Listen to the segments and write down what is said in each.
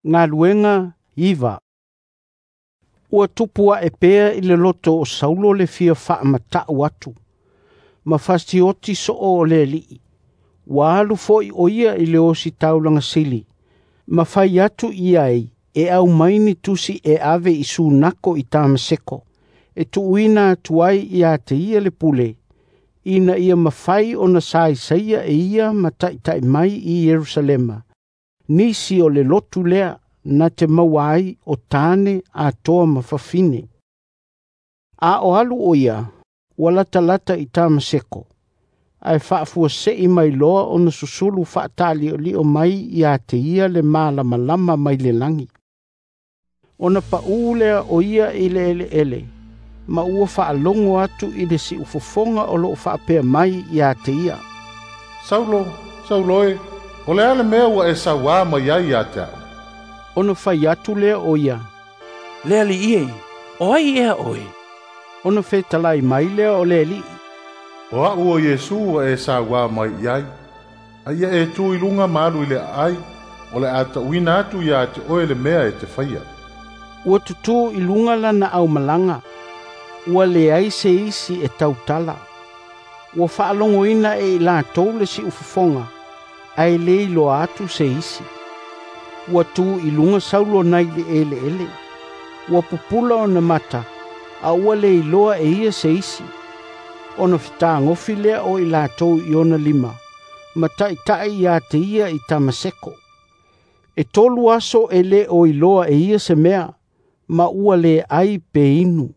Galuega 9. Ua tupu ae pea i le loto o Saulo le fia faamata'u atu, ma fasioti so'o o le Alii. Ua alu fo'i o ia i le ositaulaga sili, ma fai atu i ai e aumai ni tusi e ave i Sunako i Tamaseko, e tuuina atu ai ia te ia le pule, ina ia mafai ona saisaia e ia ma taʻitaʻi mai i Ierusalema, nisi o le lotu lea na te maua ai o tane atoa ma fafine. A o alu o ia, ua latalata i Tamaseko, ae faafuase'i mai loa ona susulu faataali'oli'o mai ia te ia le malamalama mai le lagi. Ona pa'ū lea o ia i le eleele, ma ua faalogo atu i le siufofoga o loo faapea mai ia te ia, "Saulo, Saulo e, o le a le mea ua e sauā mai ai ia te a'u?" Ona fai atu lea o ia, "Le Alii e, o ai ea oe?" Ona fetalai mai lea o le Alii, "O a'u o Iesu ua e sauā mai i ai. A ia e tu i luga ma alu i le aai, o le a ta'uina atu iā te oe le mea e te faia." Ua tutū i luga lana aumalaga, ua leai se isi e tautala. Ua faalogoina e i latou le siufofoga, ae lē iloa atu se isi. Ua tu i luga Saulo nai le eleele. Ua pupula ona mata, a ua le iloa e ia se isi. Ona fetagofi lea o i latou i ona lima, ma taʻitaʻi ia te ia i Tamaseko. E 3 aso e lē o iloa e ia se mea, ma ua le ai pe inu.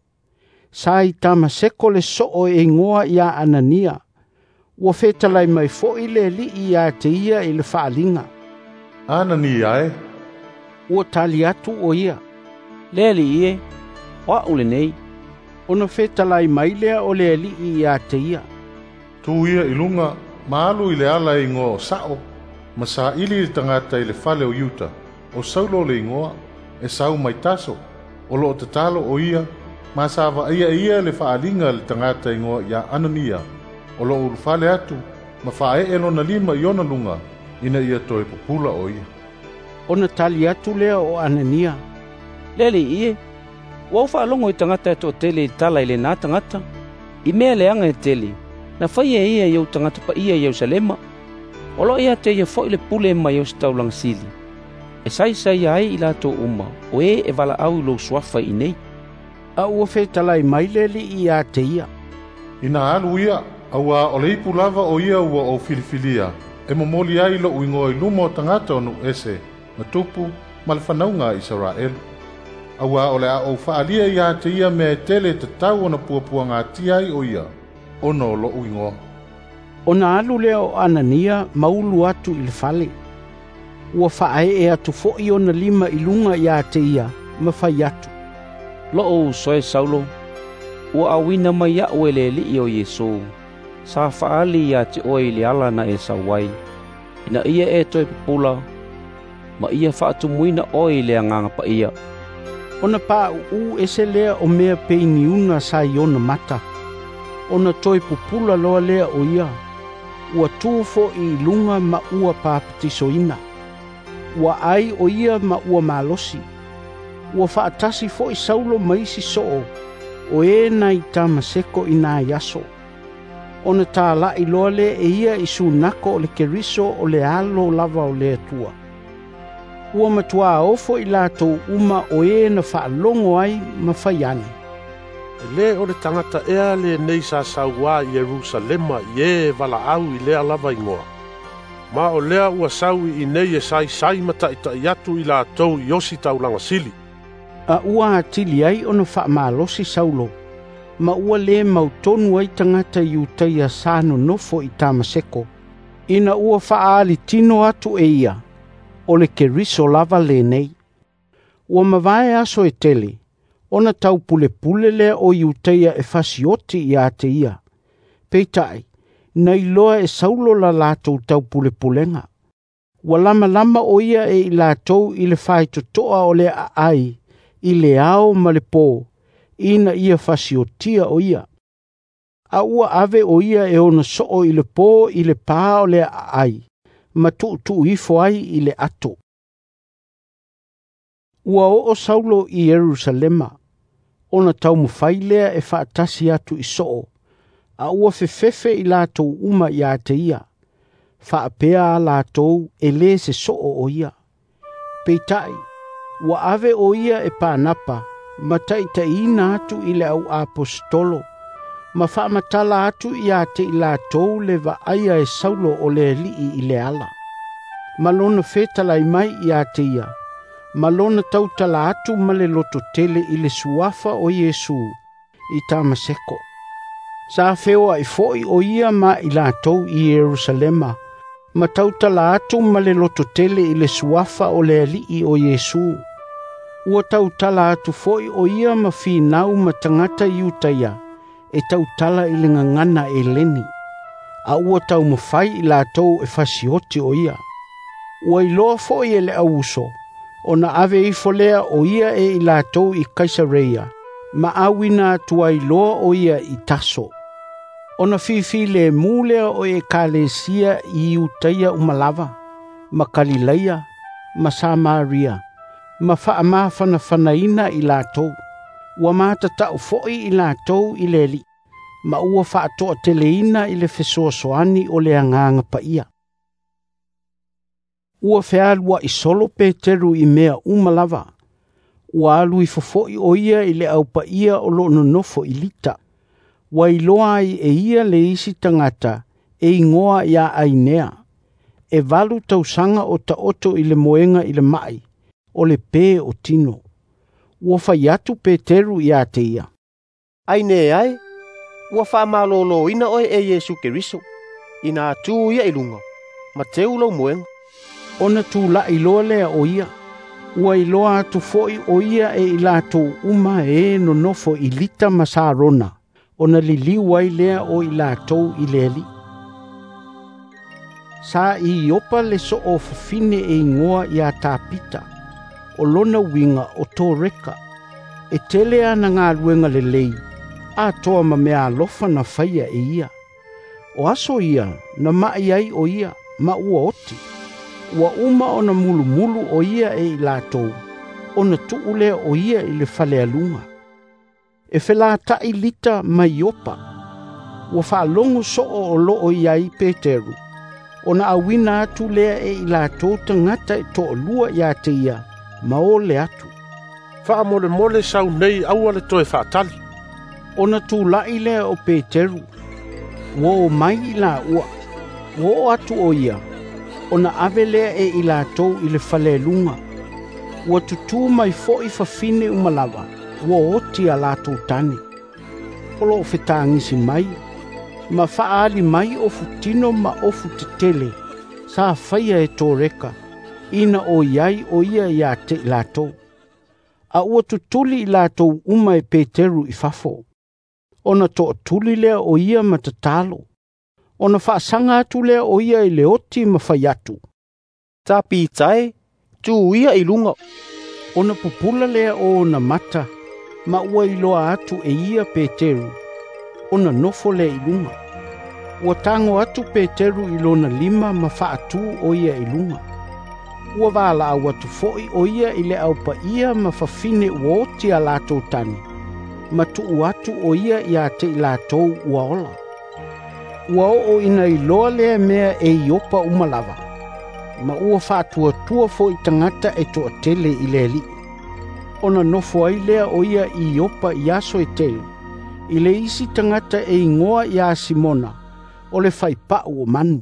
Sa i Tamaseko le soo e igoa ia Anania. Ua fetalai mai fo'i le Alii ia te ia i le faaliga, "Anania e." Ua tali atu o ia, "Le Alii e, o a'u lenei." Ona fetalai mai lea o le Alii ia te ia, "Tu ia i luga ma alu i le ala e igoa o Sa'o, ma saili le tagata i le fale o Iuta, o Saulo le igoa, e sau mai Taso, o loo tatalo o ia, ma sa vaaia e ia le faaliga a le tagata igoa ia Anania, o loo ulufale atu ma faaee lona lima i ona luga, ina ia toe pupula o ia." Ona tali atu lea o Anania, "Le Alii e, ua ou faalogo i tagata e toatele i tala i lenā tagata, i mea leaga e tele, na faia e ia i ou tagata paia i Ierusalema. O loo ia te ia fo'i le pule mai ositaulaga sili, e saisaia ai i latou uma o e e valaau i lou suafa i inei." A ua fetalai mai le Alii ia te ia, "Ina alu ia, auā o le ipu lava o ia ua ou filifilia, e momoli ai lo'u igoa i luma o tagata o nuu ese, ma tupu ma le fanauga a Isaraelu. Auā o le a ou faaalia iā te ia mea e tele e tatau ona puapuagatia ai o ia, ona o lo'u igoa." Ona alu lea o Anania ma ulu atu i le fale. Ua faaee atu fo'i ona lima i luga ia te ia ma fai atu, "Lo'u uso e Saulo, ua auina mai a'u e le Alii o Iesu, sa faaali ia te oe i le ala na e sau ai, ina ia e toe pupula, ma ia faatumuina oe i le Agaga Paia." Ona paʻuʻu ese lea o mea peiniuna sa i ona mata. Ona toe pupula loa lea o ia. Ua tu fo'i i luga ma ua papatisoina. Ua ai o ia ma ua malosi. Ua faatasi fo'i Saulo ma isi soo, o e nai Tamaseko i nai aso. Ona tāla'i loa lea e ia i Sunako o le Keriso o le alo lava o le Atua. Ua matuā ofo i latou uma o e na faalogo ai ma fai ane, "E lē o le tagata ea lenei sa sauā i Ierusalema i e e valaau i lea lava igoa? Ma o lea ua sau i inei e saisai ma taʻitaʻi atu i latou i ositaulaga sili." A ua atili ai ona faamalosi Saulo, ma ua lē mautonu ai tagata Iutaia sa nonofo i Tamaseko, ina ua faaalitino atu e ia, o le Keriso lava lenei. Ua mavae aso e tele, ona taupulepule lea o Iutaia e fasioti ia te ia. Peitai, na iloa e Saulo la latou taupulepulega. Ua lamalama o ia e i latou i le faitotoa o le aai, i le ao ma le pō, ina ia fasiotia o ia. A ua ave o ia e ona soo i le pō i le pā o le aai, ma tuutuu ifo ai i le ato. Ua oo Saulo i Ierusalema, ona taumafai lea e faatasi atu i soo, a ua fefefe i latou uma ia te ia, faapea a latou e lē se soo o ia. Peitai, ua ave o ia e Panapa ma taitaiina atu i le au aposetolo, ma faamatala atu ia te i latou le vaaia e Saulo o le Alii i le ala. Ma lona fetalai mai ia te ia, ma lona tautala atu ma le lototele i le suafa o Iesu i Tamaseko. Sa feoai foi o ia ma i latou i Ierusalema, ma tautala atu ma le lototele i le suafa o le Alii o Iesu. Ua tautala atu foi o ia ma finau ma tagata Iutaia, e tautala i le gagana Eleni, a ua taumafai i latou e fasioti o ia. Ua iloa foi e le auuso, ona ave ifo lea o ia e i latou i Kaisareia, ma auina atu ai loa o ia i Taso. Ona fifi le mu lea o ekalesia i Iutaia uma lava, ma Kalilaia, ma Samaria, ma faamafanafanaina i latou. Ua matatau foi i latou i le Alii, ma ua faatoateleina i le fesoasoani o le Agaga Paia. Ua fealuai solo Peteru i mea uma lava. Ua alu ifo foi o ia i le aupaia o loo nonofo i Lita. Ua iloa ai e ia le isi tagata e igoa ia Ainea. E 8 tausaga o taoto i le moega i le mai, o le pē o tino. Ua fai atu Peteru ia te ia, Ainea e, ua faamalōlōina oe e Iesu Keriso, ina tu ia i luga, ma teu lou moega. Ona tula'i loa lea o ia. Ua iloa atu foi o ia e i latou uma e nonofo i Lita ma Sarona, ona liliu ai lea o i latou i le Alii. Sa i Iopa le soo fafine e igoa ia Tapita, o lona uiga o Toreka. E tele ana galuega lelei, atoa ma mea alofa na faia e ia. O aso ia na mai ai o ia, ma ua oti. Ua uma ona mulumulu o ia e i latou, ona tuu lea o ia i le falealuga. E felata'i Lita ma Iopa. Ua faalogo soo o loo i ai Peteru, ona auina atu lea e i latou tagata e toalua ia te ia, ma ole atu. Faamolemole sau nei aua le toe faatali. Ona tula'i lea o Peteru, ua o mai i laua. Ua oo atu o ia, ona ave lea e i latou i le falealuga. Ua tutū mai foi fafine uma lava, ua oti a latou tane. O loo fetagisi mai, ma faaali mai o futino ma ofu tetele, sa faia e Toreka, ina o iai o ia ia te i latou. A ua tutuli i latou uma e Peteru i fafo. Ona toatuli lea o ia ma tatalo. Ona faasaga atu lea o ia i le oti ma fai atu, Tapita e, tu ia i luga. Ona pupula lea o ona mata, ma ua iloa atu e ia Peteru, ona nofo lea i luga. Ua tago atu Peteru i lona lima ma faatū o ia i luga. Ua valaau atu foi o ia i le aupaia ma fafine ua oti a latou tane, ma tuu atu o ia ia te i latou ua ola. Ua oo ina iloa lea mea e Iopa uma lava, ma ua faatuatua foi tagata e toatele i le Alii. Ona nofo ai lea o ia i Iopa i aso e tele, i le isi tagata e igoa ia Simona, o le faipau o manu.